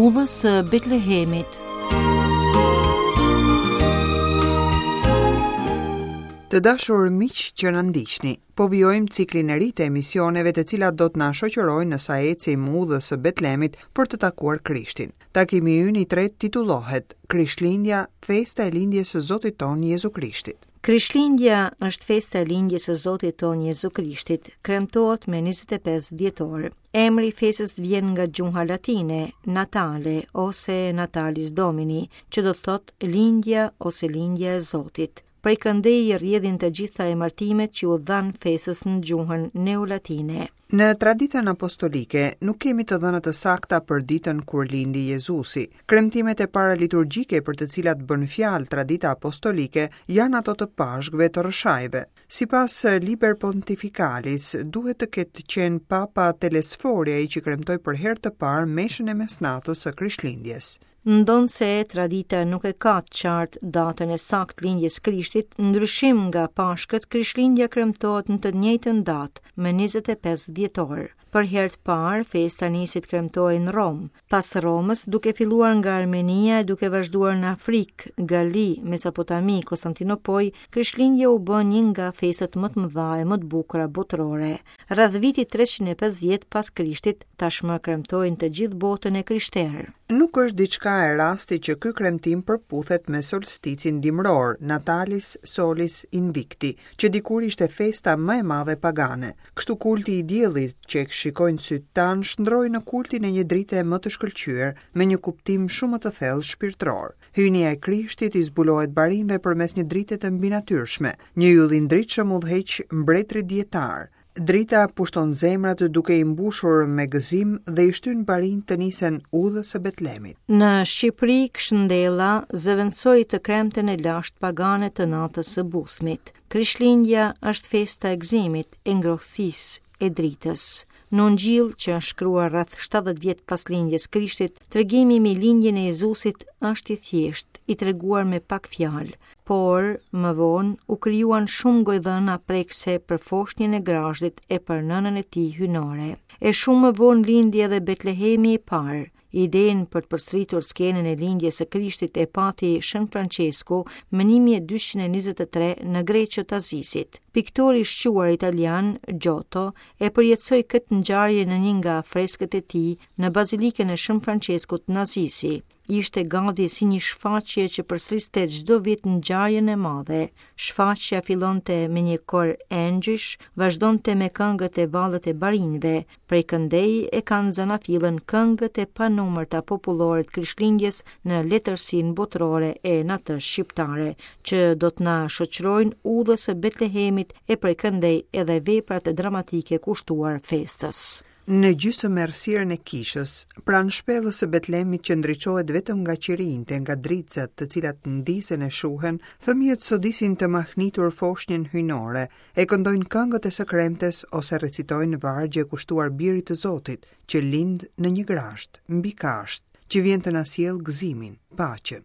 Udhës së Betlehemit. Të dashur miq që na ndiqni, po vijojmë ciklin e ri të emisioneve të cilat do të na shoqërojnë në sa ecim udhës së Betlemit për të takuar Krishtin. Takimi ynë i tretë titullohet Krishtlindja, festa e lindjes së Zotit tonë Jezu Krishtit. Krishtlindja është festa e lindjes së Zotit tonë Jezu Krishtit, kremtohet me 25 dhjetor. Emri i festës vjen nga gjuha latine, natale ose natalis domini, që do të thotë lindja ose lindja e Zotit. Prej këndej rrjedhin të gjitha emërtimet që u dhanë festës në gjuhën neolatine. Në traditën apostolike nuk kemi të dhëna të sakta për ditën kur lindi Jezusi. Kremtimet e para liturgjike për të cilat bën fjalë tradita apostolike janë ato të Pashkëve të Rrëshajve. Sipas Liber Pontificalis, duhet të ketë qenë Papa Telesfori ai që kremtoi për herë të parë meshën e mesnatës së Krishtlindjes. Ndonëse tradita nuk e ka të qartë datën e saktë lindjes Krishtit, ndryshim nga Pashkët, Krishtlindja kremtohet në të njëjtën datë, më 25 dhjetor. Për herë të parë, festa nisi të kremtohej në Romë. Pas Romës, duke filluar nga Armenia e duke vazhduar në Afrikë, Galli, Mesopotami, Konstantinopojë, Krishtlindja u bë një nga festat më të mëdha e më të bukura botërore. Rreth vitit 350 pas Krishtit, tashmë kremtohej në të gjithë botën e krishterë. Nuk është diçka e rastit që ky kremtim përputhet me solsticin dimëror, Natalis Solis Invicti, që dikur ishte festa më e madhe pagane. Kështu kulti i diellit, që e shikojnë sytë tanë, shndërroi në kultin e një drite më të shkëlqyer, me një kuptim shumë më të thellë shpirtëror. Hyjnia e Krishtit i zbulohet barinjve përmes një drite të mbinatyrshme. Një yll i ndritshëm udhëheq mbretërit dijetarë. Drita pushton zemrat duke i mbushur me gëzim dhe i shtyn barinjtë të nisen udhës së Betlemit. Në Shqipëri, Kshndella zëvendësoi të kremten e lashtë pagane të natës së Busmit. Krishtlindja është festa e gëzimit, e ngrohtësisë, e dritës. Në Ungjill, që është shkruar rreth 70 vjet pas lindjes Krishtit, tregimi mbi lindjen e Jezusit është i thjeshtë, i treguar me pak fjalë. Por, më vonë, u krijuan shumë gojëdhëna prekëse për foshnjën e grazhdit e për nënën e tij hyjnore. E shumë më vonë lindi edhe Betlehemi i parë. Idenë për të përsëritur skenën e lindjes së Krishtit e pati Shën Françesku më 1223 në Greço të Asisit. Piktori i shquar italian Giotto e përjetësoi këtë ngjarje në një nga freskët e tij në Bazilikën e Shën Françeskut në Asisi. Ishte gati si një shfaqje që përsëriste çdo vit ngjarjen e madhe. Shfaqja fillonte me një kor engjëjsh, vazhdonte me këngët e vallet e barinjve. Prej këndej e kanë zanafillën këngët e panumërta popullore të Krishtlindjes në letërsinë botërore e në atë shqiptare, që do të na shoqërojnë udhës së Betlehemit e prej këndej edhe veprat dramatike kushtuar festës. Në gjysëm errësirën e kishës, pranë shpellës së Betlemit që ndriçohet vetëm nga qirinjtë e nga dritëzat të cilat ndizen e shuhen, fëmijët sodisin të mahnitur foshnjën hyjnore, e këndojnë këngët e së kremtes ose recitojnë vargje kushtuar birit të Zotit, që lind në një grazhd, mbi kashtë, që vjen të na sjellë gëzimin, paqen.